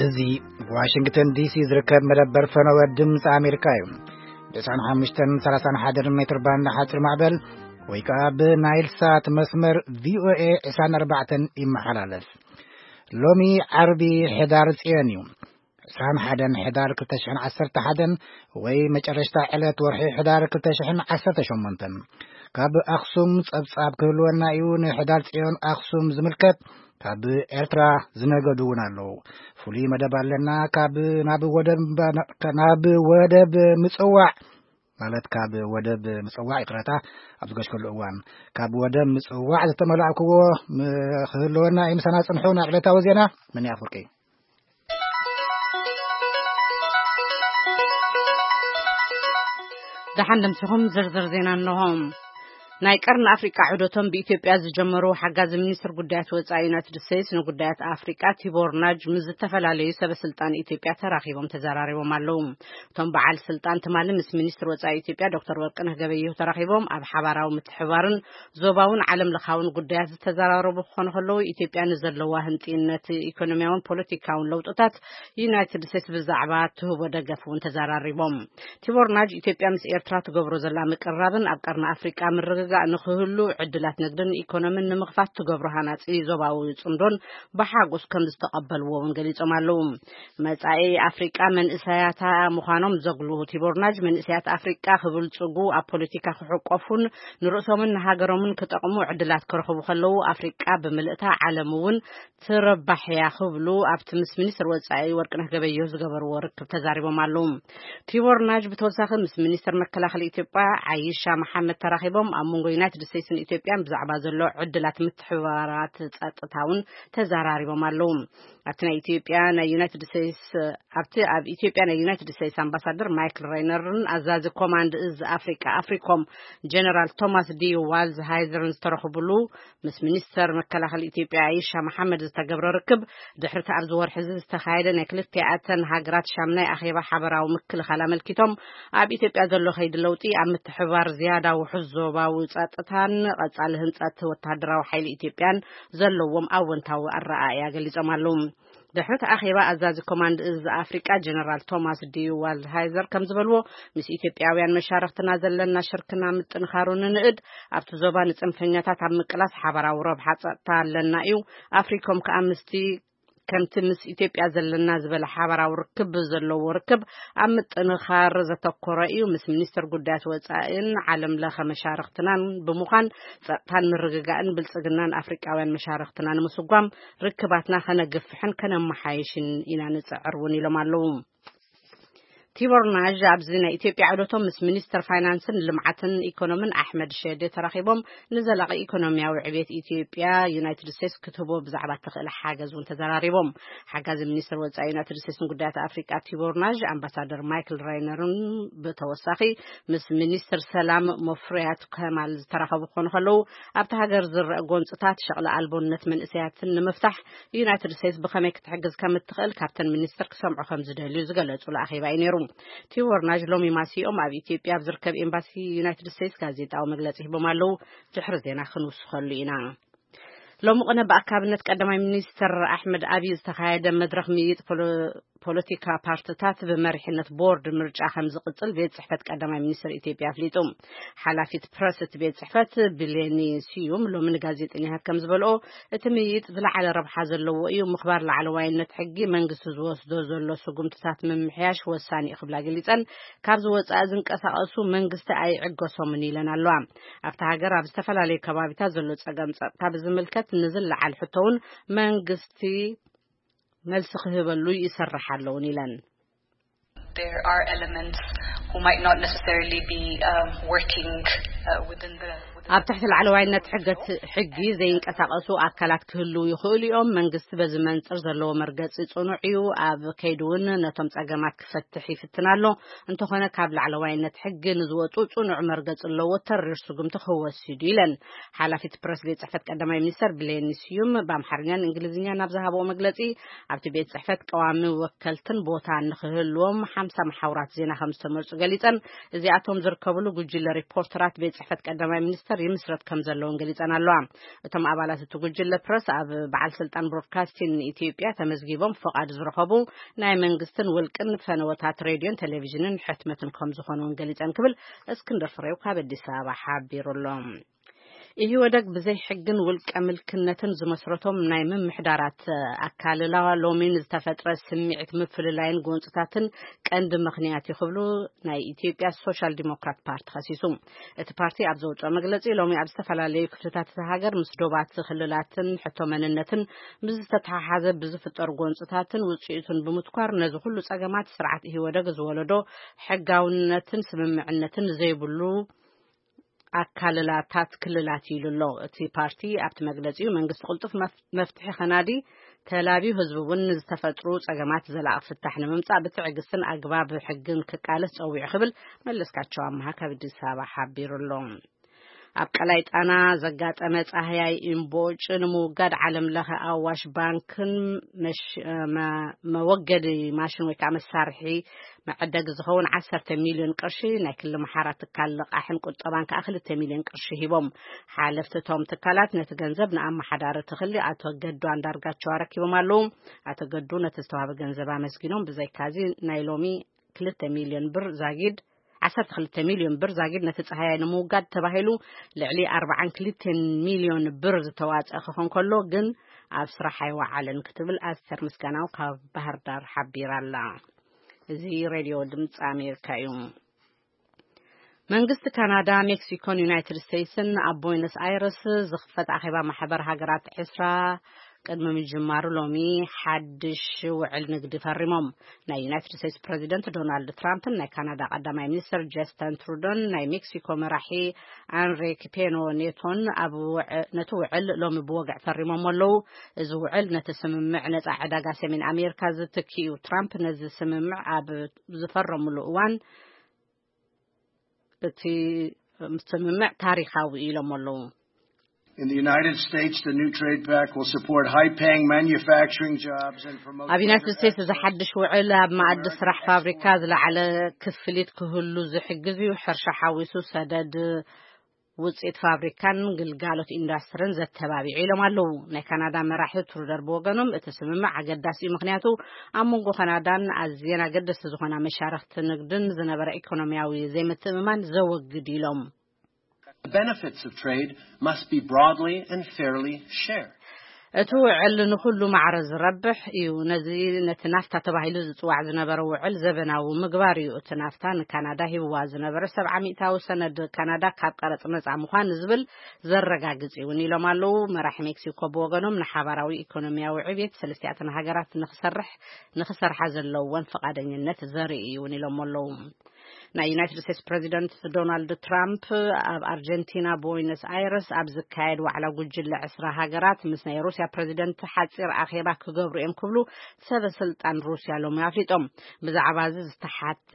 እዚ ዋሽንግተን ዲሲ ዝርከብ መደበር ፈነወ ድምፂ ኣሜሪካ እዩ። ብ ዕስራን ሓሙሽተን ሰላሳን ሓደን ሜትር ባንድ ሓፂር ማዕበል ወይ ከዓ ብናይል ሳት መስመር ቪኦኤ ዕስራን ኣርባዕተን ይመሓላለፍ። ሎሚ ዓርቢ ሕዳር ፅዮን እዩ። ዕስራን ሓደን ሕዳር ክልተ ሽሕን ዓሰርተ ሓደን ወይ መጨረሽታ ዕለት ወርሒ ሕዳር ክልተ ሽሕን ዓሰርተ ሸሞንተን። ካብ ኣኽሱም ጸብጻብ ክህልወና እዩ። ንሕዳር ጽዮን ኣኽሱም ዝምልከት ካብ ኤርትራ ዝነገዱ እውን ኣለዉ። ፍሉይ መደብ ኣለና። ካብ ናብ ወደብ፣ ናብ ወደብ ምጽዋዕ፣ ማለት ካብ ወደብ ምጽዋዕ፣ ይቕረታ፣ ኣብ ዝገሽከሉ እዋን ካብ ወደብ ምጽዋዕ ዝተመላእክዎ ም-፣ ክህልወና እዩ። ምሳና ጽንሑ። ናብ ዕለታዊ ዜና መን ኣፍርቂ። ደሓን ደምሲኹም ዝርዝር ዜና ኣለዎም። ናይ ቀርኒ ኣፍሪቃ ዑደቶም ብኢትዮጵያ ዝጀመሩ ሓጋዚ ሚኒስትር ጉዳያት ወጻኢ ዩናይትድ ስቴትስ ንጉዳያት ኣፍሪቃ ቲቦር ናጅ ምስ ዝተፈላለዩ ሰበ ስልጣን ኢትዮጵያ ተራኺቦም ተዘራሪቦም ኣለዉ። እቶም በዓል ስልጣን ትማሊ ምስ ሚኒስትር ወጻኢ ኢትዮጵያ ዶክተር ወርቅነህ ገበየሁ ተራኺቦም ኣብ ሓባራዊ ምትሕባርን ዞባውን ዓለም ለኻውን ጉዳያት ዝተዘራረቡ ክኾኑ ከለዉ፣ ኢትዮጵያ ንዘለዋ ህንጥይነት ኢኮኖሚያውን ፖለቲካውን ለውጥታት ዩናይትድ ስቴትስ ብዛዕባ ትህቦ ደገፍ እውን ተዘራሪቦም። ቲቦር ናጅ ኢትዮጵያ ምስ ኤርትራ ትገብሮ ዘላ ምቅርራብን ኣብ ቀርኒ ኣፍሪቃ ምርግጋእ ንክህሉ ዕድላት ንግድን ኢኮኖሚን ንምኽፋት ትገብሮ ሃናጺ ዞባዊ ጽምዶን ብሓጎስ ከም ዝተቐበልዎ እውን ገሊጾም ኣለዉ። መጻኢ ኣፍሪቃ መንእሰያታ ምዃኖም ዘጉልሁ ቲቦር ናጅ፣ መንእሰያት ኣፍሪቃ ክብልጽጉ፣ ኣብ ፖለቲካ ክሕቆፉን ንርእሶምን ንሃገሮምን ክጠቕሙ ዕድላት ክረኽቡ ከለዉ፣ ኣፍሪቃ ብምልእታ ዓለም እውን ትረባሕ እያ ክብሉ ኣብቲ ምስ ሚኒስትር ወጻኢ ወርቅነህ ገበየሁ ዝገበርዎ ርክብ ተዛሪቦም ኣለዉ። ቲቦር ናጅ ብተወሳኺ ምስ ሚኒስትር መከላኸሊ ኢትዮጵያ ዓይሻ መሓመድ ተራኺቦም ኣብ መንጎ ዩናይትድ ስቴትስን ኢትዮጵያን ብዛዕባ ዘሎ ዕድላት ምትሕብባራት ጸጥታ እውን ተዘራሪቦም ኣለዉ። ኣብቲ ናይ ኢትዮጵያ ናይ ዩናይትድ ስቴትስ፣ ኣብቲ ኣብ ኢትዮጵያ ናይ ዩናይትድ ስቴትስ ኣምባሳደር ማይክል ሬይነርን ኣዛዚ ኮማንድ እዝ ኣፍሪቃ ኣፍሪኮም ጀነራል ቶማስ ዲ ዋልዝ ሃይዘርን ዝተረኽቡሉ ምስ ሚኒስተር መከላኸሊ ኢትዮጵያ ኣይሻ መሓመድ ዝተገብረ ርክብ፣ ድሕሪ እቲ ኣብዚ ወርሒ እዚ ዝተኻየደ ናይ ክልቲኣተን ሃገራት ሻምናይ ኣኼባ ሓበራዊ ምክልኻል ኣመልኪቶም፣ ኣብ ኢትዮጵያ ዘሎ ከይዲ ለውጢ ኣብ ምትሕብባር ዝያዳ ውሑስ ዞባዊ ጸጥታን ቀጻሊ ህንጸት ወተሃደራዊ ሓይሊ ኢትዮጵያን ዘለዎም ኣወንታዊ ኣረኣእያ ገሊጾም ኣለዉ። ድሕሪ እቲ ኣኼባ፣ ኣዛዚ ኮማንድ እዝ ኣፍሪቃ ጀነራል ቶማስ ዲ ዋልድሃይዘር ከም ዝበልዎ፣ ምስ ኢትዮጵያውያን መሻርኽትና ዘለና ሽርክና ምጥንኻሩ ንንእድ፣ ኣብቲ ዞባ ንጽንፈኛታት ኣብ ምቅላስ ሓባራዊ ረብሓ ጸጥታ ኣለና እዩ። ኣፍሪኮም ከኣ ምስቲ ከምቲ ምስ ኢትዮጵያ ዘለና ዝበለ ሓባራዊ ርክብ ዘለዎ ርክብ ኣብ ምጥንኻር ዘተኮረ እዩ። ምስ ሚኒስትር ጉዳያት ወጻኢን ዓለም ለኸ መሻርኽትናን ብምዃን ጸጥታን ምርግጋእን ብልጽግናን ኣፍሪቃውያን መሻርኽትና ንምስጓም ርክባትና ከነግፍሕን ከነመሓየሽን ኢና ንጽዕር እውን ኢሎም ኣለዉ። ቲቦር ናዥ ኣብዚ ናይ ኢትዮጵያ ዑደቶም ምስ ሚኒስትር ፋይናንስን ልምዓትን ኢኮኖምን ኣሕመድ ሸዴ ተራኺቦም ንዘላቒ ኢኮኖሚያዊ ዕብየት ኢትዮጵያ ዩናይትድ ስቴትስ ክትህቦ ብዛዕባ እትኽእል ሓገዝ እውን ተዘራሪቦም። ሓጋዚ ሚኒስትር ወጻኢ ዩናይትድ ስቴትስ ንጉዳያት ኣፍሪቃ ቲቦር ናዥ ኣምባሳደር ማይክል ራይነርን ብተወሳኺ ምስ ሚኒስትር ሰላም መፍሪያት ከማል ዝተራኸቡ ክኾኑ ከለዉ፣ ኣብቲ ሃገር ዝረአ ጎንጽታት ሸቕሊ ኣልቦነት መንእሰያትን ንምፍታሕ ዩናይትድ ስቴትስ ብኸመይ ክትሕግዝ ከም እትኽእል ካብተን ሚኒስትር ክሰምዑ ከም ዝደልዩ ዝገለጹሉ ኣኼባ እዩ ነይሩ። ቲቦር ናዥ ሎሚ ማሲኦም ኣብ ኢትዮጵያ ኣብ ዝርከብ ኤምባሲ ዩናይትድ ስቴትስ ጋዜጣዊ መግለጺ ሂቦም ኣለዉ። ድሕሪ ዜና ክንውስኸሉ ኢና። ሎሚ ቅነ ብኣካብነት ቀዳማይ ሚኒስትር ኣሕመድ ኣብይ ዝተኻየደ መድረኽ ምይይጥ ፖሎ-፣ ፖለቲካ ፓርትታት ብመሪሕነት ቦርድ ምርጫ ከም ዝቕጽል ቤት ጽሕፈት ቀዳማይ ሚኒስትር ኢትዮጵያ ኣፍሊጡ። ሓላፊት ፕረስ እቲ ቤት ጽሕፈት ብሌኒ ስዩም ሎሚ ንጋዜጠኛታት ከም ዝበልኦ፣ እቲ ምይይጥ ዝለዓለ ረብሓ ዘለዎ እዩ። ምኽባር ላዕለዋይነት ሕጊ፣ መንግስቲ ዝወስዶ ዘሎ ስጉምትታት ምምሕያሽ ወሳኒ እዩ ክብላ ገሊጸን፣ ካብዚ ወጻኢ ዝንቀሳቐሱ መንግስቲ ኣይዕገሶምን ኢለን ኣለዋ። ኣብታ ሃገር ኣብ ዝተፈላለዩ ከባቢታት ዘሎ ጸገም ጸጥታ ብዝምልከት ንዝለዓል ሕቶ እውን መንግስቲ መልሲ ክህበሉ ይሰርሕ ኣለውን ኢለን። There are elements who might not necessarily be, um, working, uh, within the, within ኣብ ትሕቲ ላዕለዋይነት ሕገት-፣ ሕጊ ዘይንቀሳቐሱ ኣካላት ክህልዉ ይኽእሉ እዮም። መንግስቲ በዚ መንጽር ዘለዎ መርገጺ ጽኑዕ እዩ። ኣብ ከይዲ እውን ነቶም ጸገማት ክፈትሕ ይፍትን ኣሎ። እንተኾነ ካብ ላዕለዋይነት ሕጊ ንዝወጹ ጽኑዕ መርገጺ ኣለዎ፣ ተሪር ስጉምቲ ክወስድ እዩ ኢለን። ሓላፊት ፕረስ ቤት ጽሕፈት ቀዳማይ ሚኒስተር ብሌኒ ስዩም ብኣምሓርኛን እንግሊዝኛን ኣብ ዝሃብኦ መግለጺ፣ ኣብቲ ቤት ጽሕፈት ቀዋሚ ወከልትን ቦታን ንኽህልዎም ሓምሳ መሓውራት ዜና ከም ዝተመርጹ ገሊጸን፣ እዚኣቶም ዝርከብሉ ጉጅለ ሪፖርተራት ቤት ጽሕፈት ቀዳማይ ሚኒስተር ይምስረት ከም ዘለውን ገሊጸን ኣለዋ። እቶም ኣባላት እቲ ጉጅለ ፕረስ ኣብ በዓል ስልጣን ብሮድካስቲን ኢትዮጵያ ተመዝጊቦም ፈቓድ ዝረኸቡ ናይ መንግስትን ውልቅን ፈነወታት ሬድዮን ቴሌቪዥንን ሕትመትን ከም ዝኾኑን ገሊጸን ክብል እስክንድር ፍሬው ካብ ኣዲስ ኣበባ ሓቢሩ ኣሎ። ኢህወደግ ብዘይ ሕግን ውልቀ ምልክነትን ዝመስረቶም ናይ ምምሕዳራት ኣካልላ ሎሚ ንዝተፈጥረ ስምዒት ምፍልላይን ጎንፅታትን ቀንዲ ምኽንያት እዩ ክብሉ ናይ ኢትዮጵያ ሶሻል ዲሞክራት ፓርቲ ከሲሱ። እቲ ፓርቲ ኣብ ዘውፅኦ መግለፂ ሎሚ ኣብ ዝተፈላለዩ ክፍልታት እቲ ሃገር ምስ ዶባት ክልላትን ሕቶ መንነትን ብዝተተሓሓዘ ብዝፍጠሩ ጎንፅታትን ውፅኢቱን ብምትኳር ነዚ ኩሉ ፀገማት ስርዓት ኢህወደግ ዝወለዶ ሕጋውነትን ስምምዕነትን ዘይብሉ ኣካልላታት ክልላት ኢሉ ኣሎ። እቲ ፓርቲ ኣብቲ መግለጺኡ መንግስቲ ቅልጡፍ መፍ- መፍትሒ ከናዲ ተላብዩ ህዝቢ እውን ንዝተፈጥሩ ጸገማት ዘላቒ ፍታሕ ንምምጻእ ብትዕግስትን ኣግባብ ሕግን ክቃለስ ጸዊዑ ክብል መለስካቸው ኣምሃ ካብ ኣዲስ ኣበባ ሓቢሩ ኣሎ። ኣብ ቀላይ ጣና ዘጋጠመ ጻህያይ እምቦጭ ንምውጋድ ዓለም ለኸ ኣዋሽ ባንክን መሽ- መ- መወገዲ ማሽን ወይ ከዓ መሳርሒ መዐደጊ ዝኸውን ዓሰርተ ሚልዮን ቅርሺ ናይ ክሊ መሓራ ትካል ልቓሕን ቁጠባን ከዓ ክልተ ሚልዮን ቅርሺ ሂቦም። ሓለፍቲ እቶም ትካላት ነቲ ገንዘብ ንኣመሓዳሪ ትኽሊ ኣቶ ገዱ ኣንዳርጋቸው ኣረኪቦም ኣለዉ። ኣቶ ገዱ ነቲ ዝተዋሃበ ገንዘብ ኣመስጊኖም። ብዘይካዚ ናይ ሎሚ ክልተ ሚልዮን ብር ዛጊድ ዓሰርተ ክልተ ሚልዮን ብር ዛጊድ ነቲ ጸሃያይ ንምውጋድ ተባሂሉ ልዕሊ ኣርባዓን ክልተን ሚልዮን ብር ዝተዋጸ ክኾን ከሎ ግን ኣብ ስራሕ ኣይወዓለን ክትብል ኣስተር ምስጋናው ካብ ባህር ዳር ሓቢራ ኣላ። እዚ ሬድዮ ድምፂ ኣሜሪካ እዩ። መንግስቲ ካናዳ፣ ሜክሲኮን ዩናይትድ ስቴትስን ኣብ ቦይነስ ኣይረስ ዝኽፈት ኣኼባ ማሕበር ሃገራት ዕስራ ቅድሚ ምጅማሩ ሎሚ ሓድሽ ውዕል ንግዲ ፈሪሞም። ናይ ዩናይትድ ስቴትስ ፕረዚደንት ዶናልድ ትራምፕን ናይ ካናዳ ቀዳማይ ሚኒስትር ጀስተን ትሩዶን ናይ ሜክሲኮ መራሒ ኣንሪክ ፔኖ ኔቶን ኣብ ውዕ- ነቲ ውዕል ሎሚ ብወግዕ ፈሪሞም ኣለዉ። እዚ ውዕል ነቲ ስምምዕ ነጻ ዕዳጋ ሰሜን ኣሜሪካ ዝትኪ እዩ። ትራምፕ ነዚ ስምምዕ ኣብ ዝፈረምሉ እዋን እቲ ስምምዕ ታሪኻዊ ኢሎም ኣለዉ። In the United States, the new trade pact will support high-paying manufacturing jobs and promote ኣብ ዩናይትድ ስቴትስ እዚ ሓድሽ ውዕል ኣብ መኣዲ ስራሕ ፋብሪካ ዝለዓለ ክፍሊት ክህሉ ዝሕግዝ እዩ። ሕርሻ ሓዊሱ ሰደድ ውፅኢት ፋብሪካን ግልጋሎት ኢንዳስትርን ዘተባቢዑ ኢሎም ኣለዉ። ናይ ካናዳ መራሒ ትሩደር ብወገኖም እቲ ስምምዕ ኣገዳሲ እዩ፣ ምክንያቱ ኣብ መንጎ ካናዳን ኣዝየን ኣገደስቲ ዝኾና መሻርክቲ ንግድን ዝነበረ ኢኮኖሚያዊ ዘይምትእምማን ዘወግድ ኢሎም። The benefits of trade must be broadly and fairly shared. እቲ ውዕል ንኹሉ ማዕረ ዝረብሕ እዩ። ነዚ ነቲ ናፍታ ተባሂሉ ዝጽዋዕ ዝነበረ ውዕል ዘበናዊ ምግባር እዩ። እቲ ናፍታ ንካናዳ ሂብዋ ዝነበረ ሰብዓ ሚእታዊ ሰነድ ካናዳ ካብ ቀረጽ ነጻ ምዃን ዝብል ዘረጋግጽ እውን ኢሎም ኣለዉ። መራሒ ሜክሲኮ ብወገኖም ንሓባራዊ ኢኮኖሚያዊ ዕብየት ሰለስቲኣተን ሃገራት ንክሰርሕ ንክሰርሓ ዘለወን ፍቓደኝነት ዘርኢ እዩ እውን ኢሎም ኣለዉ። ናይ ዩናይትድ ስቴትስ ፕረዚደንት ዶናልድ ትራምፕ ኣብ ኣርጀንቲና ቦይነስ ኣይረስ ኣብ ዝካየድ ዋዕላ ጉጅለ ዕስራ ሃገራት ምስ ናይ ሩስያ ፕረዚደንት ሓፂር ኣኼባ ክገብሩ እዮም ክብሉ ሰበ ስልጣን ሩስያ ሎሚ ኣፍሊጦም። ብዛዕባ እዚ ዝተሓተ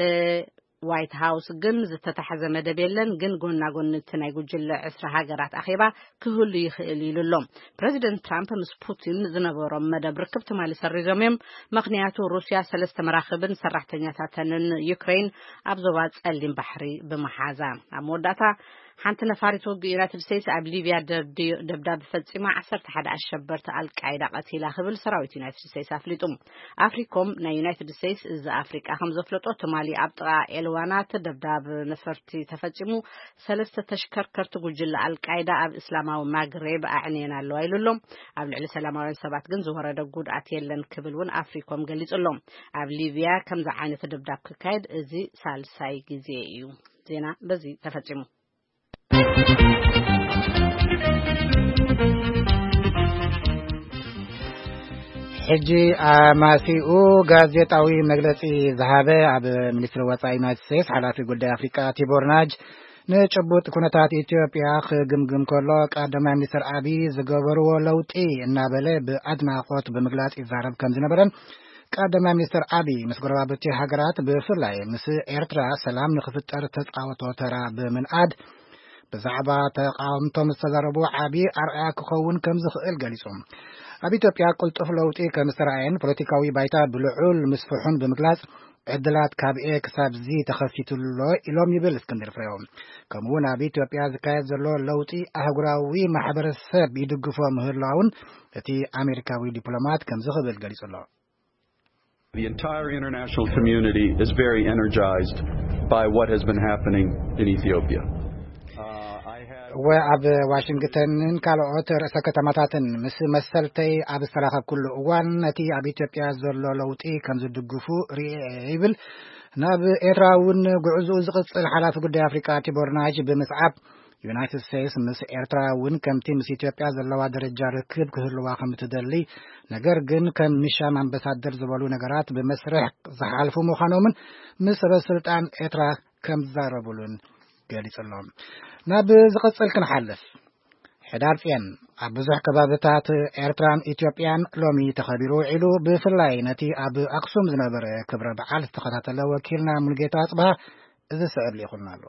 ዋይት ሃውስ ግን ዝተታሕዘ መደብ የለን፣ ግን ጎና ጎኒ እቲ ናይ ጉጅለ ዕስራ ሃገራት ኣኼባ ክህሉ ይኽእል ኢሉ ኣሎ። ፕረዚደንት ትራምፕ ምስ ፑቲን ዝነበሮም መደብ ርክብ ትማሊ ሰሪዞም እዮም። ምኽንያቱ ሩስያ ሰለስተ መራኽብን ሰራሕተኛታተንን ዩክሬን ኣብ ዞባ ጸሊም ባሕሪ ብምሓዛ። ኣብ መወዳእታ ሓንቲ ነፋሪት ውግእ ዩናይትድ ስቴትስ ኣብ ሊብያ ደብዳብ ፈጺማ ዓሰርተ ሓደ ኣሸበርቲ ኣልቃይዳ ቀቲላ ክብል ሰራዊት ዩናይትድ ስቴትስ ኣፍሊጡ። ኣፍሪኮም ናይ ዩናይትድ ስቴትስ እዚ ኣፍሪቃ ከም ዘፍለጦ ትማሊ ኣብ ጥቓ ኤልዋናት ደብዳብ ነፈርቲ ተፈጺሙ ሰለስተ ተሽከርከርቲ ጉጅለ ኣልቃይዳ ኣብ እስላማዊ ማግሬብ ኣዕንየን ኣለዋ ኢሉ ኣሎ። ኣብ ልዕሊ ሰላማውያን ሰባት ግን ዝወረደ ጉድኣት የለን ክብል እውን ኣፍሪኮም ገሊጹ ኣሎ። ኣብ ሊብያ ከምዚ ዓይነት ደብዳብ ክካየድ እዚ ሳልሳይ ግዜ እዩ። ዜና በዚ ተፈጺሙ። ሕጂ ኣማሲኡ ጋዜጣዊ መግለጺ ዝሃበ ኣብ ሚኒስትሪ ወጻኢ ዩናይትድ ስቴትስ ሓላፊ ጉዳይ ኣፍሪቃ ቲቦር ናጅ ንጭቡጥ ኩነታት ኢትዮጵያ ክግምግም ከሎ ቀዳማይ ሚኒስትር ኣቢይ ዝገበርዎ ለውጢ እናበለ ብኣድናቖት ብምግላጽ ይዛረብ ከም ዝነበረን ቀዳማይ ሚኒስትር ኣቢይ ምስ ጎረባብቲ ሃገራት ብፍላይ ምስ ኤርትራ ሰላም ንክፍጠር ተጻወቶ ተራ ብምንኣድ ብዛዕባ ተቃወምቶም ዝተዛረቡ ዓቢ ኣርኣያ ክኸውን ከም ዝኽእል ገሊጹ። ኣብ ኢትዮጵያ ቅልጡፍ ለውጢ ከም ዝተራእየን ፖለቲካዊ ባይታ ብልዑል ምስፍሑን ብምግላጽ ዕድላት ካብ ኤ ክሳብ ዚ ተኸፊቱ ኣሎ ኢሎም ይብል እስክንድር ፍሬው። ከምኡ እውን ኣብ ኢትዮጵያ ዝካየድ ዘሎ ለውጢ ኣህጉራዊ ማሕበረሰብ ይድግፎ ምህላውን እቲ ኣሜሪካዊ ዲፕሎማት ከምዚ ክብል ገሊጹ ኣሎ። The entire international community is very energized by what has been happening in Ethiopia. እወ፣ ኣብ ዋሽንግተንን ካልኦት ርእሰ ከተማታትን ምስ መሰልተይ ኣብ ዝተራኸብኩሉ እዋን ነቲ ኣብ ኢትዮጵያ ዘሎ ለውጢ ከም ዝድግፉ ርእየ ይብል። ናብ ኤርትራ እውን ጉዕዝኡ ዝቕጽል ሓላፊ ጉዳይ ኣፍሪቃ ቲቦር ናጅ ብምስዓብ፣ ዩናይትድ ስቴትስ ምስ ኤርትራ እውን ከምቲ ምስ ኢትዮጵያ ዘለዋ ደረጃ ርክብ ክህልዋ ከም እትደሊ፣ ነገር ግን ከም ሚሻን ኣምባሳደር ዝበሉ ነገራት ብመስርሕ ዝሓልፉ ምዃኖምን ምስ ሰበ ስልጣን ኤርትራ ከም ዝዛረቡሉን ገሊጹ ኣሎ። ናብ ዝቕጽል ክንሓልፍ። ሕዳር ጽዮን ኣብ ብዙሕ ከባብታት ኤርትራን ኢትዮጵያን ሎሚ ተኸቢሩ ውዒሉ፣ ብፍላይ ነቲ ኣብ ኣክሱም ዝነበረ ክብረ በዓል ዝተኸታተለ ወኪልና ሙሉጌታ ኣጽብሃ እዚ ስዕብ ልኢኹልና ኣሎ።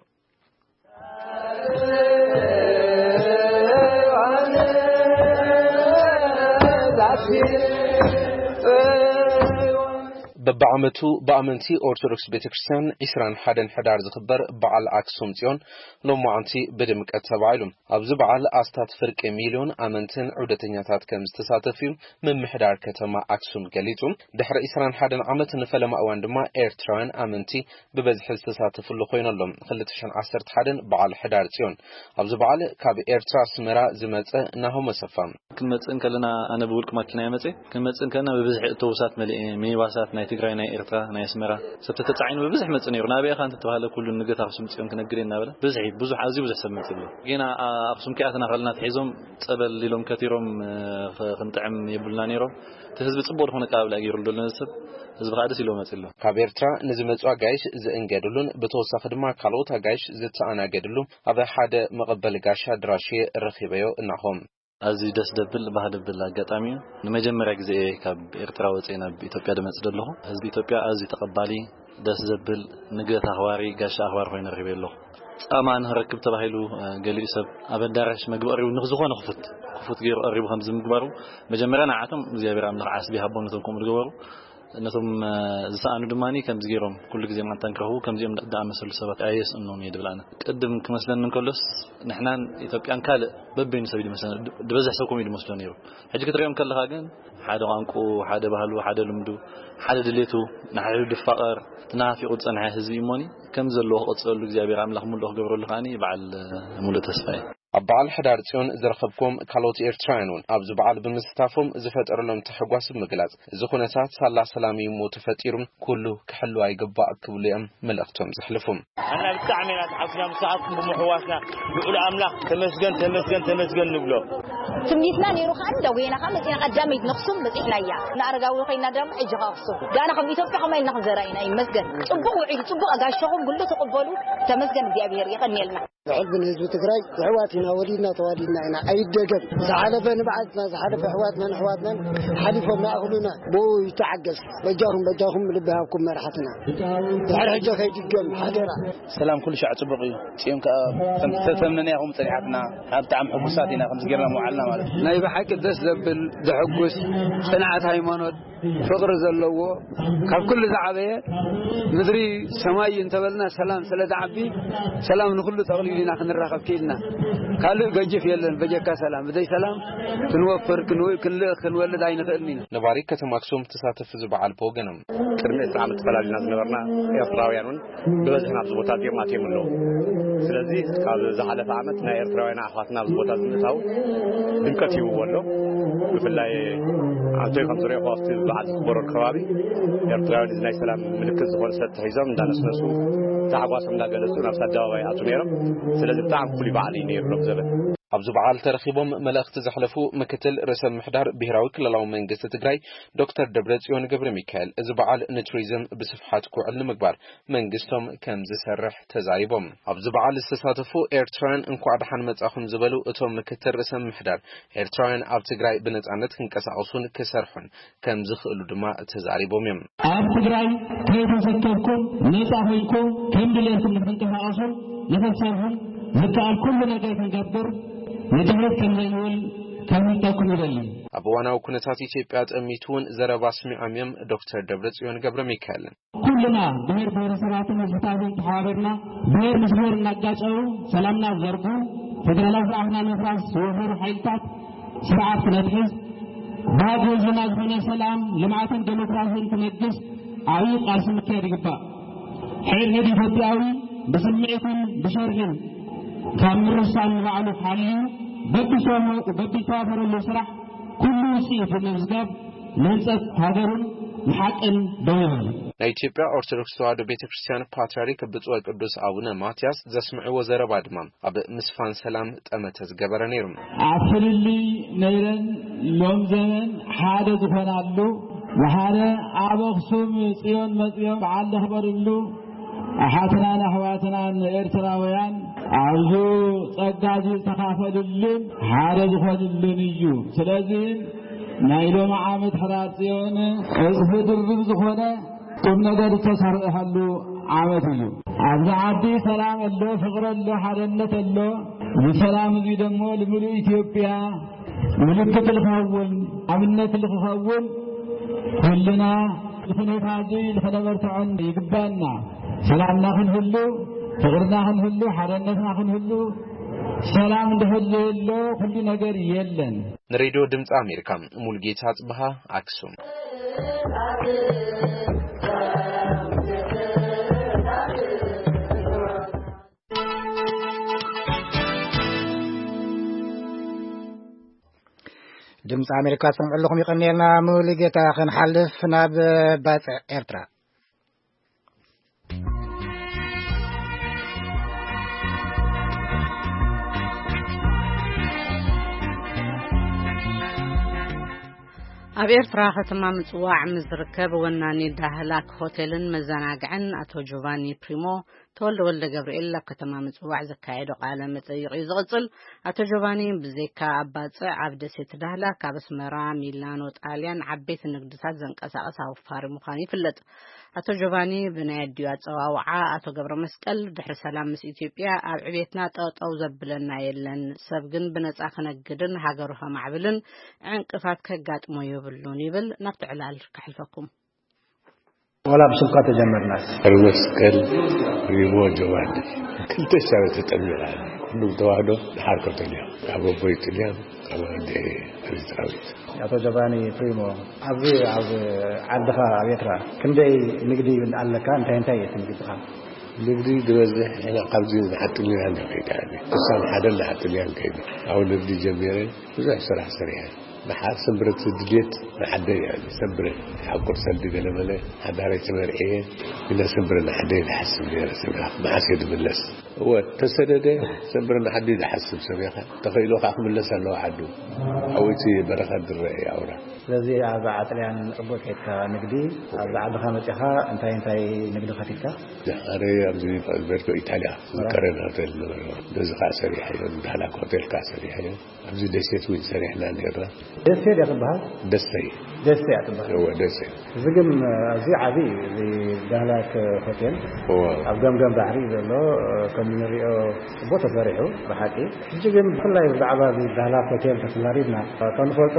በብዓመቱ ብኣመንቲ ኦርቶዶክስ ቤተ ክርስቲያን ዕስራን ሓደን ሕዳር ዝኽበር በዓል ኣክሱም ጽዮን ሎማዓንቲ ብድምቀት ተባዒሉ። ኣብዚ በዓል ኣስታት ፍርቂ ሚልዮን ኣመንትን ዑደተኛታት ከም ዝተሳተፉ እዩ ምምሕዳር ከተማ ኣክሱም ገሊጹ። ድሕሪ ዕስራን ሓደን ዓመት ንፈለማ እዋን ድማ ኤርትራውያን ኣመንቲ ብበዝሒ ዝተሳተፍሉ ኮይኑ ኣሎ። ክልተ ሽሕን ዓሰርተ ሓደን በዓል ሕዳር ጽዮን። ኣብዚ በዓል ካብ ኤርትራ ኣስመራ ዝመጸ ናሆም ኣሰፋ። ክንመጽእ እንከለና ኣነ ብውልቂ ማኪና እየ መጽእ። ክንመጽእ እንከለና ብብዝሒ ኣውቶቡሳት መሊኤ፣ ሚኒባሳት ናይ ትግራይ፣ ናይ ኤርትራ፣ ናይ ኣስመራ ሰብ ተተጻዒኑ ብብዝሒ መጽእ ነይሩ። ናበይ ኢኻ እንተተባህለ ኩሉ ንግደት ኣክሱም ጽዮን ክነግድ እየ እናበለ ብዝሒ ብዙሕ፣ ኣዝዩ ብዙሕ ሰብ መጽእ ኣሎ። ጌና ኣ-፣ ኣክሱም ከይኣተና ከለና ትሒዞም ጸበል ኢሎም ከቲሮም፣ እ፣ ኽ-፣ ክንጥዕም የብልና ነይሮም። እቲ ህዝቢ ጽቡቕ ዝኾነ ኣቀባብላ ገይሩ ኣሎ ነዚ ሰብ። ህዝቢ ከዓ ደስ ኢልዎ መጽእ ኣሎ። ካብ ኤርትራ ንዝመጹ ኣጋይሽ ዝእንገድሉን ብተወሳኺ ድማ ካልኦት ኣጋይሽ ዝተኣናገድሉ ኣብ ሓደ መቐበሊ ጋሻ ኣድራሽ ረኺበዮ እናኾም። ኣዝዩ ደስ ደብል፣ ባህ ደብል ኣጋጣሚ እዩ። ንመጀመርያ ግዜ እየ ካብ ኤርትራ ወፅየ ናብ ኢትዮጵያ ድመፅእ ዘለኹ። ህዝቢ ኢትዮጵያ ኣዝዩ ተቐባሊ፣ ደስ ዘብል፣ ንግደት ኣኽባሪ፣ ጋሻ ኣኽባሪ ኮይኑ ረኺበ ኣለኹ። ጻማ ንኽረክብ ተባሂሉ፣ እ፣ ገሊኡ ሰብ ኣብ ኣዳራሽ መግቢ ቀሪቡ ንዝኾነ ክፉት፣ ክፉት ገይሩ ቀሪቡ ከምዚ ምግባሩ፣ መጀመርያ ንዓቶም እግዚኣብሔር ኣምላኽ ዓስቢ ይሃቦም ነቶም ከምኡ ዝገበሩ። ነቶም፣ እ፣ ዝሰኣኑ ድማኒ ከምዚ ገይሮም ኩሉ ግዜ ማንታ ንክረኽቡ ከምዚኦም ዝኣመሰሉ ሰባት ኣየስእኖም እየ ድብል ኣነ። ቅድም ክመስለኒ እንከሎስ ንሕናን ኢትዮጵያን ካልእ በበይኑ ሰብ እዩ ዝመስለና። ድ-፣ ዝበዝሕ ሰብ ከምኡ እዩ ዝመስሎ ነይሩ። ሕጂ ክትሪኦም ከለኻ ግን ሓደ ቋንቁ፣ ሓደ ባህሉ፣ ሓደ ልምዱ፣ ሓደ ድሌቱ፣ ንሓድሕዱ ድፋቐር፣ እቲ ናፊቑ ዝጸንሐ ህዝቢ እዩ እሞኒ፣ ከም ዘለዎ ክቕጽለሉ እግዚኣብሔር ኣምላኽ ምሉእ ክገብረሉ ከኣኒ በዓል ምሉእ ተስፋ እዩ። ኣብ በዓል ሕዳር ጽዮን ዝረኸብኩም ካልኦት ኤርትራውያን እውን ኣብዚ በዓል ብምስታፎም ዝፈጠረሎም ተሕጓስ ብምግላጽ፣ እዚ ኩነታት ሳላ ሰላም እዩ እሞ ተፈጢሩ፣ ኩሉ ክሕሉ ኣይግባእ ክብሉ እዮም መልእኽቶም ዘሕልፉ። ኣና ብጣዕሚ ኢና ተሓጉስና ምሳኻትኩም ብምሕዋስና። ልዑል ኣምላኽ ተመስገን፣ ተመስገን፣ ተመስገን ንብሎ። ትምኒትና ነይሩ ከኣ እንዳጎየና ከኣ መጺና ቀዳመይቲ ነኽሱም በጺሕናያ። ንኣረጋዊ ኮይና ድማ ሕጂ ከኣ ኣኽሱም። ጋና ከም ኢትዮጵያ ከማይ ኢልና ክንዘራ ኢና። ይመስገን። ጽቡቕ ውዒሉ፣ ጽቡቕ ኣጋሾኹም ኩሉ ተቐበሉ። ተመስገን እግዚኣብሔር፣ የቐንየልና። ብሕልቢ ንህዝቢ ትግራይ ኣሕዋት ኢና፣ ወሊድና ተዋሊድና ኢና። ኣይደገም። ዝሓለፈ ንብዓትና፣ ዝሓለፈ ኣሕዋትናን ኣሕዋትናን ሓሊፎም ይኣኽሉና። ብኡ ይተዓገስ። በጃኹም፣ በጃኹም ልቢ ሃብኩም መራሕትና። ድሕሪ ሕጂ ከይድገም ሓደራ። ሰላም ኩሉ ሻዕ ጽቡቕ እዩ። ጽዮን ከኣ ከም ዝተተመነያ ከም ጸኒሓትና፣ ብጣዕሚ ሕጉሳት ኢና ከምዚ ጌርና ምውዓልና ማለት እዩ። ናይ ብሓቂ ደስ ዘብል ዘሐጉስ ጽንዓት ሃይማኖት ፍቕሪ ዘለዎ ካብ ኩሉ ዝዓበየ ምድሪ ሰማይ እንተበልና ሰላም ስለ ዝዓቢ ሰላም ንኹሉ ጠቕሊሉ ኢና ክንራኸብ ክኢልና። ካልእ ገጅፍ የለን በጀካ ሰላም። ብዘይ ሰላም ክንወፍር፣ ክንው-፣ ክንልእኽ፣ ክንወልድ ኣይንኽእልን ኢና። ነባሪ ከተማ ኣክሱም ተሳተፍቲ እዚ በዓል ብወገኖም። ቅድሚ ዕስራ ዓመት ተፈላሊና ዝነበርና ኤርትራውያን እውን ብበዝሒ ናብዚ ቦታ እዚኦም ኣትዮም ኣለዉ። ስለዚ ካብ ዝሓለፈ ዓመት ናይ ኤርትራውያን ኣሕዋትና ኣብዚ ቦታ እዚ ምእታው ድምቀት ሂብዎ ኣሎ። ብፍላይ ኣንቶይ ከም ዝረእኹ ኣብቲ በዓል ዝኽበረሉ ከባቢ ኤርትራውያን እዚ ናይ ሰላም ምልክት ዝኾነ ሰብ ተሒዞም እንዳነስነሱ ታሕጓሶም እንዳገለጹ ናብቲ ኣደባባይ ይኣትዉ ነይሮም። ስለዚ ብጣዕሚ ፍሉይ በዓል እዩ ነይሩ ሎም ዘበን። ኣብዚ በዓል ተረኺቦም መልእኽቲ ዘሕለፉ ምክትል ርእሰ ምምሕዳር ብሄራዊ ክልላዊ መንግስቲ ትግራይ ዶክተር ደብረጽዮን ገብረ ሚካኤል፣ እዚ በዓል ንቱሪዝም ብስፍሓት ክውዕል ንምግባር መንግስቶም ከም ዝሰርሕ ተዛሪቦም። ኣብዚ በዓል ዝተሳተፉ ኤርትራውያን እንኳዕ ደሓን መጻኹም ዝበሉ እቶም ምክትል ርእሰ ምምሕዳር፣ ኤርትራውያን ኣብ ትግራይ ብነጻነት ክንቀሳቐሱን ክሰርሑን ከም ዝኽእሉ ድማ ተዛሪቦም እዮም። ኣብ ትግራይ ከይተሰከፍኩም ነጻ ኮይንኩም ከም ድሌትኩም ንክትንቀሳቐሱን ንክትሰርሑን ዝከኣል ኩሉ ነገር ክንገብር ንድሕሪት ከም ዘይንብል ከምህልተኩም ይደሊ። ኣብ እዋናዊ ኩነታት ኢትዮጵያ ጠሚቱ እውን ዘረባ ኣስሚዖም እዮም ዶክተር ደብረጽዮን ገብረ ሚካኤል። ኩልና ብሔር ብሔረሰባትን ህዝብታትን ተሓባቢርና፣ ብሔር ምስ ብሔር እናጋጨው ሰላምና ዘርጉ፣ ፌደራላዊ ስርዓትና ንምፍራስ ዝወፈሩ ሓይልታት ስርዓት ክነትሕዝ፣ ባዶ ህዝብና ዝኾነ ሰላም፣ ልምዓትን ዴሞክራሲን ክነግስ ዓብዪ ቃልሲ ምክያድ ይግባእ። ሕድሕድ ኢትዮጵያዊ ብስምዒትን ብሸርሕን ካብ ምርሳን ንባዕሉ ሓልዩ በብዝተዋፈረሉ ስራሕ ኩሉ ውፅኢት ብምምዝጋብ ንህንፀት ሃገሩን ንሓቅን ደው ይበል። ናይ ኢትዮጵያ ኦርቶዶክስ ተዋሕዶ ቤተ ክርስቲያን ፓትርያርክ ብፁዕ ወቅዱስ ኣቡነ ማትያስ ዘስምዕዎ ዘረባ ድማ ኣብ ምስፋን ሰላም ጠመተ ዝገበረ ነይሩ። ኣብ ፍልልይ ነይረን ሎም ዘመን ሓደ ዝኾናሉ፣ ብሓደ ኣብ ኣኽሱም ጽዮን መጽዮም በዓል ዘኽበርሉ፣ ኣሓትናን ኣሕዋትናን ኤርትራውያን ኣብዚ ጸጋ እዚ ዝተኻፈሉሉን ሓደ ዝኾኑሉን እዩ። ስለዚ ናይ ሎሚ ዓመት ሕዳር ጽዮን ዕጽፊ ድርብ ዝኾነ ቁም ነገር ዝተሰርሐሉ ዓመት እዩ። ኣብዚ ዓዲ ሰላም ኣሎ፣ ፍቕሪ ኣሎ፣ ሓደነት ኣሎ። እዚ ሰላም እዚ ደሞ ንምሉእ ኢትዮጵያ ምልክት ልኸውን፣ ኣብነት ልኽኸውን፣ ኩልና እዚ ኩነታ እዚ ልኽነበርትዖን ይግባና። ሰላምና ክንህሉ፣ ፍቕርና ክንህሉ፣ ሓደነትና ክንህሉ፣ ሰላም እንድሕር ዘየሎ ኩሉ ነገር የለን። ንሬድዮ ድምፂ ኣሜሪካ፣ ሙልጌታ ጽብሃ፣ ኣክሱም። ድምፂ ኣሜሪካ ትሰምዑ ኣለኹም። ይቐንየልና ሙሉጌታ። ክንሓልፍ ናብ ባጽዕ ኤርትራ። ኣብ ኤርትራ ከተማ ምጽዋዕ ምስ ዝርከብ ወናኒ ዳህላክ ሆቴልን መዘናግዕን ኣቶ ጆቫኒ ፕሪሞ ተወልደ ወልደ ገብርኤል ኣብ ከተማ ምጽዋዕ ዘካየዶ ቃለ መጠይቕ እዩ ዝቕጽል። ኣቶ ጆቫኒ ብዘይካ ኣብ ባጽዕ ኣብ ደሴት ዳህላክ ካብ ኣስመራ፣ ሚላኖ፣ ጣልያን ዓበይቲ ንግድታት ዘንቀሳቕስ ኣውፋሪ ምዃኑ ይፍለጥ። ኣቶ ጆቫኒ ብናይ ኣዲኡ ኣጸዋውዓ ኣቶ ገብረ መስቀል ድሕሪ ሰላም ምስ ኢትዮጵያ ኣብ ዕቤትና ጠጠው ዘብለና የለን፣ ሰብ ግን ብነጻ ክነግድን ሃገሩ ከማዕብልን ዕንቅፋት ከጋጥሞ የብሉን ይብል። ናብቲ ዕላል ከሕልፈኩም። ወላ ብስምካ ተጀመርናስ። ገብረ መስቀል ሪሞ ጆቫኒ ክልተ ሻብ ተጠሚራ። ኩሉም ተዋህዶ ድሓር ከተልዮም ካብ ኣቦይ ጥልያን ካብ ኣደ ኤርትራዊት። ኣቶ ጆቫኒ ፕሪሞ፣ ኣብዚ ኣብ ዓድኻ ኣብ ኤርትራ ክንደይ ንግዲ ኣለካ? እንታይ እንታይ እዩ እቲ ንግድኻ? ንግዲ ዝበዝሕ ንሕና ካብዚ ንዓጥልያን ከይዳ፣ ክሳብ ሓደ ንዓጥልያን ከይዱ፣ ኣብ ንግዲ ጀሚረ። ብዙሕ ስራሕ ሰሪሐ። ንሓ-፣ ሰንብረት ድሌት ንዓደይ እያ። ሰንብረ ሓቁር ሰልዲ ገለመለ ሓዳረይ ተመርዕየ። ግና ሰንብረ ንዓደይ ዝሓስብ ነይረ። ሰንብረ መዓስ እየ ዝምለስ? እወ፣ ተሰደደ። ሰንብረ ንዓደይ ዝሓስብ ሰብ እየ። ተኸኢሉ ከዓ ክምለስ ኣለዎ ዓዱ። ኣብኡ እቲ በረኸት ዝረአ እዩ ኣውራ። ስለዚ ኣብ ዓጥልያን ጽቡቅ ከይድካ ንግዲ፣ ኣብዚ ዓድኻ መጺኻ እንታይ እንታይ ንግዲ ከፊትካ? ኣነ ኣብዚ ቨርዶ ኢታልያ ዝከረን ሆቴል ነበረ። በዚ ከዓ ሰሪሐዮ፣ ዳህላክ ሆቴል ከዓ ሰሪሐዮ። ኣብዚ ደሴት እውን ሰሪሕና ነርና። ደሴ ድያ ትበሃል? ደሰይ። ደሴ እያ ትበሃል። እወ፣ ደሴ። እዚ ግን ኣዝዩ ዓቢ እዩ፣ እዚ ዳህላክ ሆቴል። እወ። ኣብ ገምገም ባሕሪ ዘሎ፣ ከም እንሪኦ ጽቡቅ ተሰሪሑ ብሓቂ። ሕጂ ግን ብፍላይ ብዛዕባ እዚ ዳህላክ ሆቴል ተተዛሪብና፣ ከም ንፈልጦ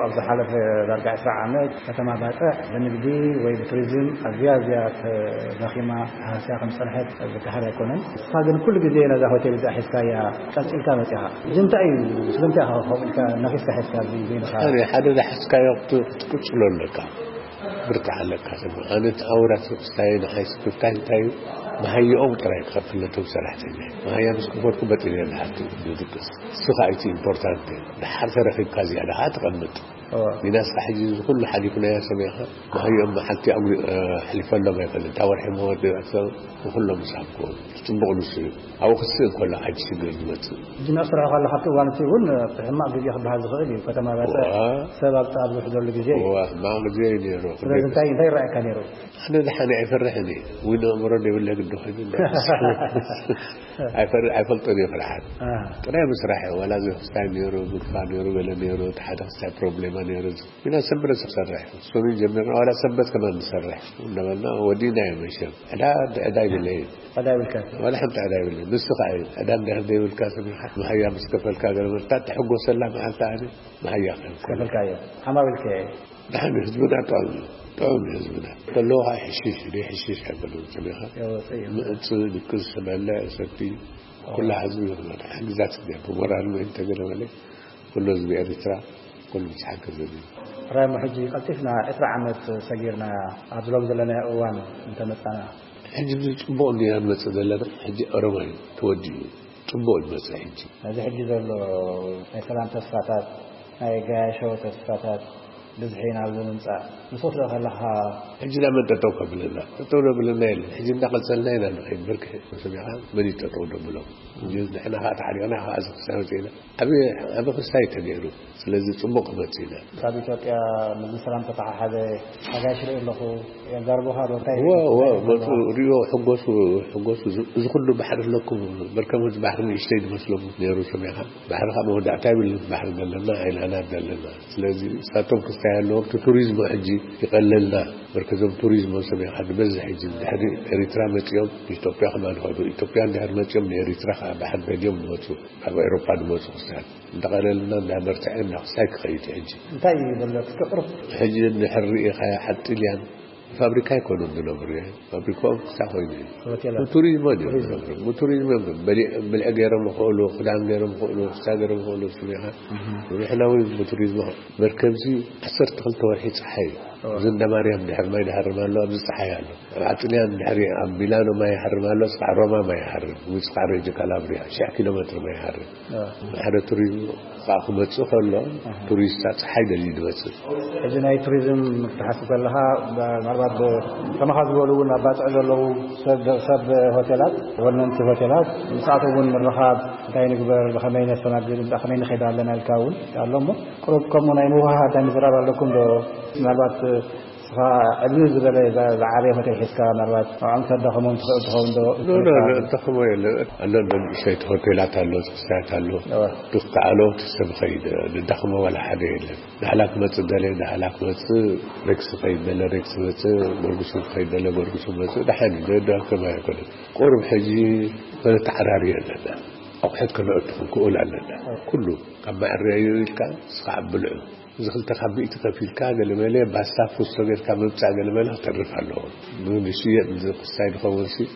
ኣብ ዝሓለፈ ዳርጋ ዕስራ ዓመት ከተማ ባጽዕ ብንግዲ ወይ ብቱሪዝም ኣዝያ ኣዝያ ተዳኺማ ተሃስያ ከም ዝጸንሐት ዝከሓድ ኣይኮነን። ንስኻ ግን ኩሉ ግዜ ነዛ ሆቴል እዚኣ ሒዝካያ ቀጺልካ መጺኻ። እዚ እንታይ እዩ? ስለምንታይ ኢኻ ከምኡ ኢልካ ነኺስካ ሒዝካ ኣብዚ በይንኻ? ኣነ ሓደ ዝሓዝካዮ ክት-፣ ክትቅጽሎ ኣለካ። ብርታዕ ኣለካ። ሰብ ኣነ እቲ ኣውራ ስክስታይ ንሓይ ስክስታይ እንታይ እዩ? መሃይኦም ጥራይ ክኸፍል ነቶም ሰራሕተኛ። መሃያ ምስ ከፈልኩ በጢነ ዝሓቱ ዝድቅስ። እሱ ኸኣ እቲ ኢምፖርታንት እዩ። ድሓር ተረኺብካ ዝያዳ ኸኣ ትቐምጥ። እወ። ሚናስካ ሕጂ እዚ ኩሉ ሓሊፍናዮ ሰሚዕካ፣ መሃይኦም መዓልቲ ኣጉሊ-፣ እ፣ ኣሕሊፈሎም ኣይፈልጥን። እታ ወርሒ መወዳእታ ንኹሎም ምሳብክዎም። እቲ ጽቡቕ ንሱ እዩ። ኣብኡ ክስእ እንከሎ ዓዲ ሽግር ዝመጽእ። ሕጂ ናብ ስራሕ ከለኻ ኣብቲ እዋን እቲ እውን፣ እ፣ ሕማቕ ግዜ ክበሃል ዝኽእል እዩ። ከተማ ባጽዕ እዋ። ሰብ ኣብ፣ ኣብ ዝውሕደሉ ግዜ እዩ። እዋ፣ ሕማቕ ግዜ እዩ ነይሩ። ስለዚ እንታይ፣ እንታይ ይረኣየካ ነይሩ? ኣነ ደሓን ኣይፈርሕን እየ። እውን ኣእምሮ ዘይብለ ግዲ ኮይኑ እንዳ-፣ ኣይፈር-፣ ኣይፈልጦን እየ ፍርሓት። አ። ጥራይ ምስራሕ እየ። ዋላ እዚ ክስታይ ነይሩ፣ ግፋ ነይሩ፣ ገለ ነይሩ፣ እቲ ሓደ ክስታይ ፕሮብሌማ ነይሩ። ኢና ሰንበት ንሰርሕ፣ ሰኑይ ጀሚርና ዋላ ሰንበት ከማን ንሰርሕ እንዳበልና ወዲእና እዮም። መሸም ዕዳ ዕዳ ይብለይ። ዕዳ ይብልካ። ዋላ ሓንቲ ዕዳ ይብለይ። ንሱ ከዓ እዩ ዕዳ እንድሕር ዘይብልካ፣ ሰሚኻ መሃያ ምስ ከፈልካ ገለ መርታ ትሕጎሰላ መዓልቲ ኣነ መሃያ ከንኮ ከፈልካዮ ሓማቢልከ። ደሓን ህዝብና ጥዑም እዩ። ጥዑም ህዝብና ከለዎ ከዓ ሕሽሽ ዘይሕሽሽ ኣይኮነን። ሰሚኻ የወፅእ እዩ። ምእፅ ድቅስ በልዕ ሰቲ ኩላ ህዝቢ ይኽመት ሓግዛት ደ ብሞራል ምእን ተገለ በለ ኩሉ ህዝቢ ኤርትራ ኩሉ ምስ ሓገዘ እዩ። ራይሞ ሕጂ ቀልጢፍና ዕስራ ዓመት ሰጊርና ኣብዚ ሎም ዘለና እዋን እንተመፃና። ሕጂ ጽቡቕ እንዲና ንመጽእ ዘለና። ሕጂ ኦሮማይ ተወዲኡ ጽቡቕ ይመጽእ ሕጂ። ነዚ ሕጂ ዘሎ ናይ ሰላም ተስፋታት ናይ ጋያሾ ተስፋታት ብዝሒ ናብ ምምፃእ ንሶት ዶ ከለኻ። ሕጂ ናብ መን ጠጠው ከብለና? ጠጠው ደብለና የለን። ሕጂ እንዳቐጸልና ኢና ንኸይድ። ብርክ ሰሚኻ መን እዩ ጠጠው ደብሎም? ሕጂ ንሕና ከዓ ተሓሪቕና ከዓ እዚ ክሳይ ወፂእና። ዓብ ዓብ ክስታይ ተገይሩ። ስለዚ ፅቡቅ ክመፅእ ኢና። ካብ ኢትዮጵያ ምስ ሰላም ተተሓሓዘ ሓጋሽ ርኢ ኣለኹ። የዛርቡኻ ዶ እንታይ? ሪኦ ሕጎሱ ሕጎሱ። እዚ ኩሉ ባሕሪ ኣለኩም። መርከቦት ባሕሪ ንእሽተይ ዝመስሎም ነይሩ። ሰሚኻ ባሕሪ ካብ መወዳእታ ይብል። ባሕሪ ዘለና ኣይላና ዘለና። ስለዚ ሳቶም ክስታይ ኣለዎም። እቲ ቱሪዝሞ ሕጂ ይቐለልና። መርከዞም ቱሪዝሞ ሰሚኻ ዝበዝሕ ሕጂ ድሕሪ ኤሪትራ መፂኦም ኢትዮጵያ ከማን ይኸዱ። ኢትዮጵያ እንድሕር መፂኦም ንኤሪትራ ከዓ ባሕሪ ደልዮም ዝመፁ። ካብ ኤሮፓ ዝመፁ ክስታይ እንተቐለልና እንዳበርትዐ እንዳክሳይ ክኸይድ ሕጂ። እንታይ እዩ ዘሎ? እስኪ ቅርብ። ሕጂ እንድሕር ርኢኻያ ኣብ ጥልያን ፋብሪካ ኣይኮኑን ዝነብሩ። ፋብሪካኦም ክሳ ኮይኑ እዩ። ሆቴላት። ቱሪዝሞ ድዮም ዝነብሩ። ቱሪዝሞ እዮም። በሊ- ብልዒ ገይሮም ይኽእሉ፣ ክዳን ገይሮም ይኽእሉ፣ ክሳ ገይሮም ይኽእሉ። ስሚኻ ንሕና እውን ብቱሪዝሞ መርከብዚ ዓሰርተ ክልተ ወርሒ ፀሓይ እዩ። እዚ እንዳ ማርያም ድሕር ማይ ድሃርም ኣሎ፣ ኣብዚ ፀሓይ ኣሎ። ኣብ ጥልያን ድሕሪ ኣብ ሚላኖ ማይ ይሃርም ኣሎ፣ እስካዕ ሮማ ማይ ይሃርም፣ እስካዕ ሬጆ ካላብሪያ ሽሕ ኪሎ ሜትር ማይ ይሃርም። ሓደ ቱሪዝም ከዓ ክመፅእ ከሎ ቱሪስት ፀሓይ ደልዩ ዝመፅእ። ሕጂ ናይ ቱሪዝም ክትሓስብ ከለኻ ምናልባት ከማኻ ዝበሉ እውን ኣባፅዕ ዘለዉ ሰብ ሰብ ሆቴላት ወነንቲ ሆቴላት ምስኣቶም እውን ምርኻብ እንታይ ንግበር ብኸመይ ነስተናግድ እንታይ ከመይ ንኸይድ ኣለና ኢልካ እውን ኣሎ እሞ ቁሩብ ከምኡ ናይ ምውሃሃድ ናይ ምዝራብ ኣለኩም ዶ? ምናልባት እስኻ ዕብዩ ዝበለ ዝዓበየ ሆቴል ሒዝካ ምናልባት ንዕኦም ከዳኸሞም ትኽእል ትኸውን ዶ? ተኸሞ የለ ኣሎ። ንእሽተይቲ ሆቴላት ኣሎ፣ ክስታያት ኣሎ። ክተኣሎ ሰብ ኸይድ ዝዳኸሞ ዋላ ሓደ የለን። ዳህላ ክመፅእ ደለ ዳህላ ክመፅእ፣ ሬክስ ኸይድ ደለ ሬክስ መፅእ፣ ጎርጉሱ ኸይድ ደለ ጎርጉሱ መፅእ። ደሓን እዩ። ደዳከማ ኣይኮነ። ቁሩብ ሕጂ ተዓራርዮ ኣለና። ኣቑሑት ከነእቱ ክንክእል ኣለና። ኩሉ ካብ ማዕረዩ ኢልካ እስኻ ኣብ ብልዑ እዚ ክልተ ካብ ሚእቲ ከፊልካ ገለመለ ባስታ ፉስቶ ጌርካ ምምፃእ ገለመለ ክተርፍ ኣለዎ። ንሽየጥ ክስታይ ዝኸውን ሲ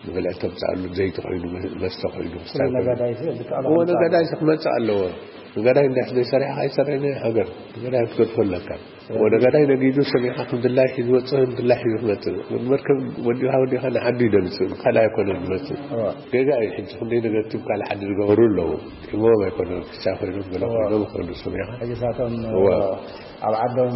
ንበልዕ ተምፅኣሉ ዘይቲ ኮይኑ መስተ ኮይኑ ክስታይ ኮይኑ። ነጋዳይ ሲ ብጣዕሚ እዎ ነጋዳይ ሲ ክመፅእ ኣለዎ። ነጋዳይ እንዳ ዘይሰሪሕካ ኣይሰርሕን እዩ ሃገር። ነጋዳይ ክትገድፎ ኣለካ። እዎ ነጋዳይ ነጊዱ ሰሚዕካ ክንድላይ ሒዙ ወፅእ ክንድላይ ሒዙ ክመፅእ መርከብ ወዲኻ ወዲኻ ንዓዱ ይደምፅእ ካልእ ኣይኮነን ዝመፅእ። ገጋ እዩ ሕጂ ክንደይ ነገር ትም ካልእ ዓዲ ዝገበሩ ኣለዉ። ሒሞም ኣይኮነን ክሳ ኮይኖም ገለ ኮይኖም ይኾኑ። ሰሚዕካ ሕጂ ሳቶም እዎ። ኣብ ዓዶም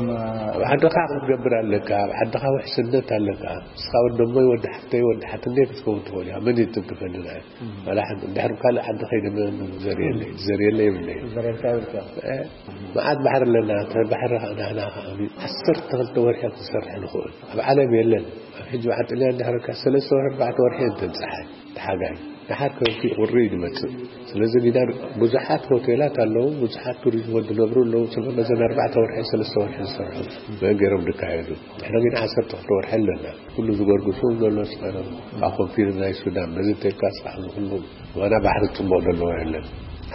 ኣብ ዓድኻ ክትገብር ኣለካ። ኣብ ዓድኻ ውሕስነት ኣለካ። እስኻ ወዲ እሞይ ወዲ ሓፍተይ ወዲ ሓትነይ ክትከውን ትኽእል ኢኻ። መን እዩ ትንክፈኒ ንዓይ? ዋላ ሓንቲ እንድሕር ካልእ ዓዲ ከይደ መን ዘርእየለይ? ዘርእየለይ የብለይ። ዘርእየልካ ይብልካ። መዓት ባሕሪ ኣለና። እተ ባሕሪ ከዓ ናህና ከዓ ዓሰርተ ክልተ ወርሒ ክንሰርሕ ንኽእል ኣብ ዓለም የለን። ኣብ ሕጂ በዓል ጥልያን ድሕርካ ሰለስተ ወርሒ ኣርባዕተ ወርሒ እየን ተብፅሓ ተሓጋይ። ደሓር ከብቲ ቁሪ እዩ ዝመፅእ። ስለዚ ግዳን ብዙሓት ሆቴላት ኣለዉ፣ ብዙሓት ቱሪዝም ዝነብሩ ኣለዉ። ስለመዘን ኣርባዕተ ወርሒ ሰለስተ ወርሒ ዝሰርሑ መን ገይሮም ዝካየዱ። ንሕና ግን ዓሰርተ ክልተ ወርሒ ኣለና። ኩሉ ዝጎርግሱ ዘሎ ስኻኖም ኣብ ኮንፊደንስ ናይ ሱዳን በዚ ተልካ ስራሕ ዝኩሉ ዋና ባሕሪ ፅቡቕ ዘለዎ የለን።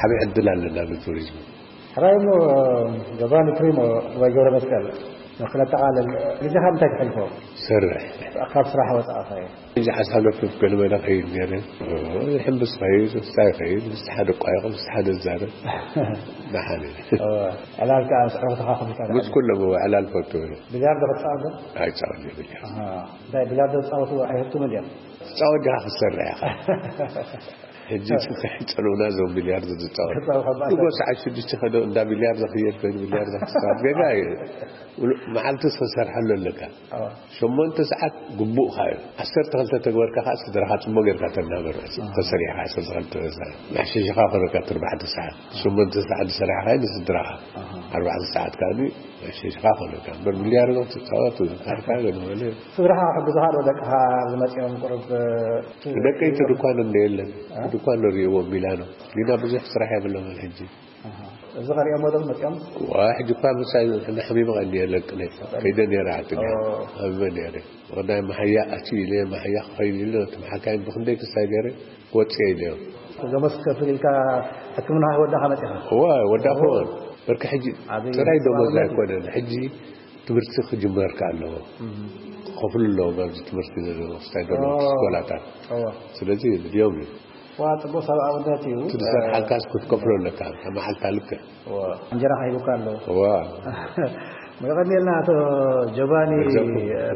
ዓብዪ ዕድል ኣለና ንቱሪዝም። ሕራይ እሞ ጆቫኒ ፕሪሞ ወይ ገብረ መስቀል ንክነጠቓልል ግዜኻ እንታይ ትሕልፎ? ሰርሕ ካብ ስራሕ ወፃእኻ እዩ። እዚ ሓሳብ ለፍፍ ገለመለ ኸይድ ነይረ። ሕምብስ ኸይድ፣ ስታይ ኸይድ፣ ምስ ሓደ ቋይቕ፣ ምስ ሓደ ዛረብ። ደሓን እዩ። ዕላል ከዓ ምስ ዕሩኽትኻ ክምፃ ምስ ኩሎም ዕላል ፈቱ። ቢልያርዶ ክትፃወት ዶ? ኣይፃወት እየ ቢልያርዶ። እንታይ ቢልያርዶ ዝፃወቱ ኣይህብቱምን እዮም? ትፃወት ዲኻ ክትሰርሕ ኢኻ። ሕጂ ከይፀልኡና እዞም ቢልያርዶ ዝፃወቱ። ንጎ ሰዓት ሽዱሽተ ከዶ እንዳ ቢልያርዶ ክየድ ኮይኑ ቢልያርዶ ክትፃወት ጌጋ እዩ። መዓልቲ ዝተሰርሐሉ ኣለካ። ሸሞንተ ሰዓት ግቡእካ እዩ። ዓሰርተ ክልተ ተግበርካ ከዓ ስድራኻ ፅቡቅ ጌርካ ተናበር። ተሰሪሕካ ዓሰርተ ክልተ ሰዓት መሕሸሽኻ ኮነካ እቲ ኣርባዕተ ሰዓት ሸሞንተ ሰዓት ዝሰራሕካ እዩ ንስድራኻ ኣርባዕተ ሰዓት ከዓ መሕሸሽኻ ኮነካ እምበር ቢልያርዶ ክትፃወት ካልካ ገለ ስድራኻ ክሕግዙኻ ዶ ደቅኻ ዝመፅኦም ቁሩብ ደቀይቲ ድኳን እንደ የለን እኳ ንሪእዎ ሚላኖ ግና ብዙሕ ስራሕ የብሎም ሕጂ። ኣሃ። እዚ ከሪኦም ወደም መፂኦም? ዋ፣ ሕጂ እኳ ምሳይ ንሕሚመ ቀኒ የለቅነ። ከይደ ነይረ ዓዲ ነይረ። ኦ። ሓሚመ ነይረ። ወዳይ መሓያ ኣትዩ ኢለ፣ መሓያ ክኸይድ ኢለ፣ ነቶም ሓካይም ብክንደይ ክሳይ ገይረ ክወፅእ ኢለዮም። ደሞዝ ከፍል ኢልካ ሕክምና ወዳኻ መፂኻ? እዋ፣ ወዳኹ። ኦ። በርካ ሕጂ ኣበይ ጥራይ ደሞዝ ሰብኣውነት እዩ? ኣይኮነን። ሕጂ ትምህርቲ ክጅመር ከ ኣለዎ። እም። ክኸፍሉ ኣለዎም ኣብዚ ትምህርቲ ዘለዉ ክሳይ ደሞዝ ኦ። ስኮላታት። እዋ። ስለዚ ድዮም እዩ። ዋ፣ ጽቡቕ ሰብኣውነት እዩ። እቲ ዝሰርሓልካስ ክትከፍሎ ኣለካ፣ እታ መዓልታ ልክዕ። ዋ፣ እንጀራ ከሂቡካ ኣሎ። ዋ። የቐንየልና ኣቶ ጆቫኒ፣ መግዛእኩም።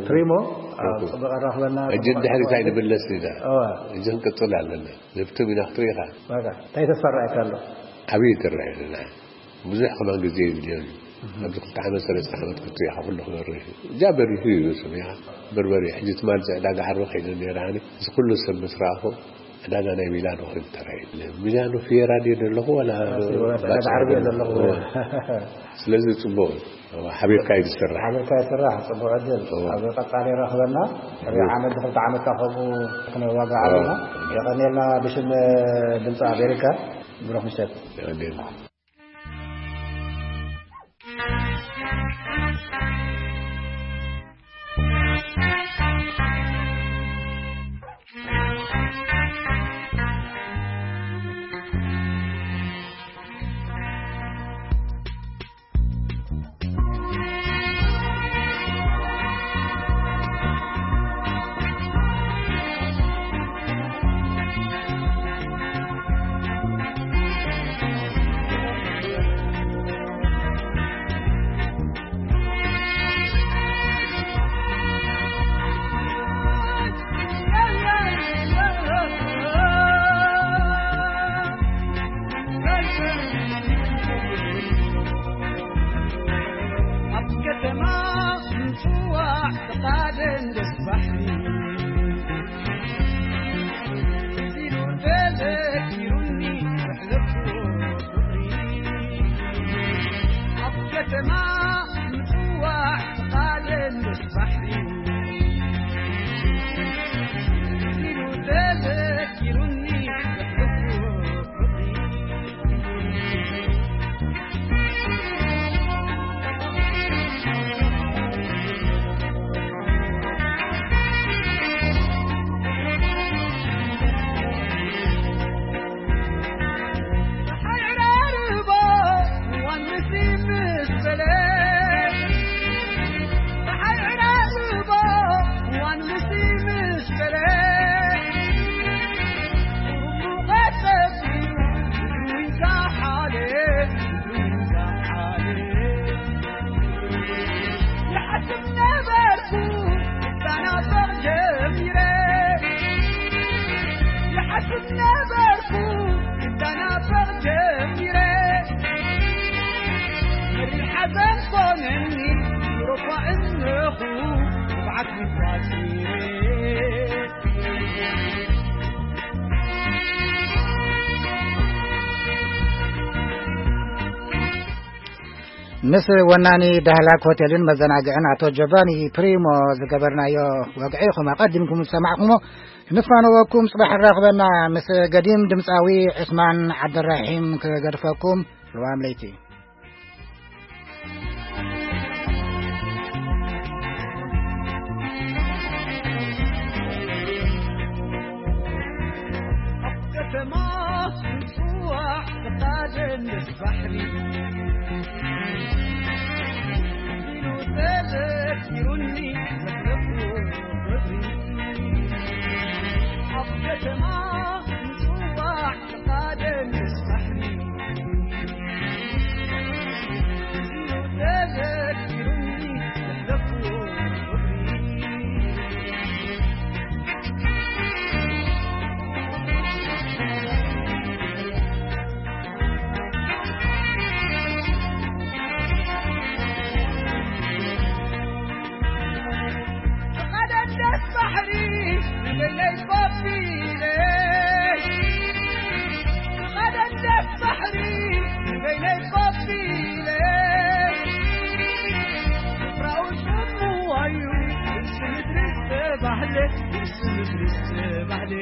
ፕሪሞ፣ ኣብ መግዛእኩም። ጽቡቕ ኣራኽበና፣ ሕጂ ጽቡቕ ድሕሪት ኣራኽበና። ኣይንምለስ ኢና። ዋ። ሕጂ ክንቅጽል ኣለና። ንብትም ኢና ክትርኢ ኢኻ። ዋጋ፣ እንታይ ተስፋ ረኣየካ ኣሎ? ዓብዪ ትረአ ኣለና። ብዙሕ ከማን ግዜ ይድልዮ እዩ። ኣብዚ ክልተ ዓመት፣ ሰለስተ ዓመት ክትሪኢኻ ኩሉ ክበርህ እዩ። እዛ በሪሁ እዩ፣ ሰሚዕኻ። በርበሪ፣ ሕጂ ትማል እዚ ዕዳጋ ዓርቢ ከይደ ነይረ ኣነ። እዚ ኩሉ ሰብ ምስ ረኣኹ፣ ዕዳጋ ናይ ሚላኖ ኮይኑ ተራእዩ። ሚላኖ ፊየራ ድየ ዘለኹ፣ ዋላ ዕዳጋ ዓርቢ እየ ዘለኹ። እዎ። ስለዚ ጽቡቕ እዩ። እዎ፣ ሓቢርካ እዩ ዝስራሕ። ሓቢርካ ይስራሕ፣ ጽቡቕ ዕድል። እዎ። ኣብ ቀጻሊ ይራኽበና። ሕዚ እዎ። ዓመት፣ ክልተ ዓመት ከምኡ ክንዋጋዕ እዎ። ኣለና። የቐንየልና ብሽም ድምፂ ኣሜሪካ። ብሩኽ ምሸት። የቐንየልና። ኣብ ከተማ ምጽዋዕ ፍቓደን ደስ ባሕሪ፣ ሲሉ ተዘኪሩኒ ዘሕለፍኩ ፍቕሪ። ኣብ ከተማ ምጽዋዕ ፍቓደን ደስ ባሕሪ፣ ሲሉ ተዘኪሩኒ ዘሕለፍኩ ፍቕሪ። ይሓስብ ነበርኩ ክተናፈቕ ጀሚረ፣ ይሓስብ ነበርኩ ክተናፈቕ ጀሚረ። መሪር ሓዘን ኮነኒ ኑሮኳ እነኹ፣ ንብዓት ምኳሲረ። ምስ ወናኒ ዳህላክ ሆቴልን መዘናግዕን ኣቶ ጆቫኒ ፕሪሞ ዝገበርናዮ ወግዒ ኢኹም ኣቐዲምኩም ዝሰማዕኩሞ። ንፋነወኩም፣ ጽባሕ ንራኽበና። ምስ ገዲም ድምጻዊ ዑስማን ዓብደራሒም ክገድፈኩም። ልዋም ለይቲ። ኣብ ከተማ ምጽዋዕ ፍቓደን ምስ ባሕሪ፣ ኢሉ ተዘኪሩኒ ዘሕለፍኩ ፍቕሪ። ኣብ ከተማ ምጽዋዕ ፍቓደን ምስ ባሕሪ፣ ኢሉ ተዘኪሩኒ ዘሕለፍኩ ፍቕሪ። ተቐደደስ ባሕሪ ንበይነይ ኮፍ ኢለ፣ ተቐደደስ ባሕሪ ንበይነይ ኮፍ ኢለ፣ ስፍራኡ ጽምዋ እዩ፣ ምስ ምድሪ ዝተባህለ፣ ምስ ምድሪ ዝተባህለ።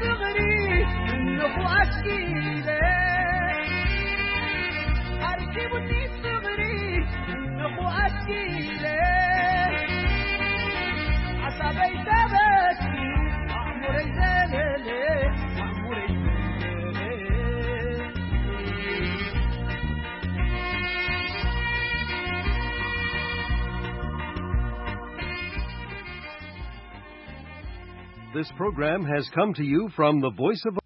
ፍቕሪ እንኹ ኣሽኪለ ኣርኪቡኒ ፍቕሪ እንኹ ኣሽኪለ ሓሳበይ ተበኪ ኣእሙረይ ዘለለ ኣእሙረይ ዘለለ This program has come to you from the Voice of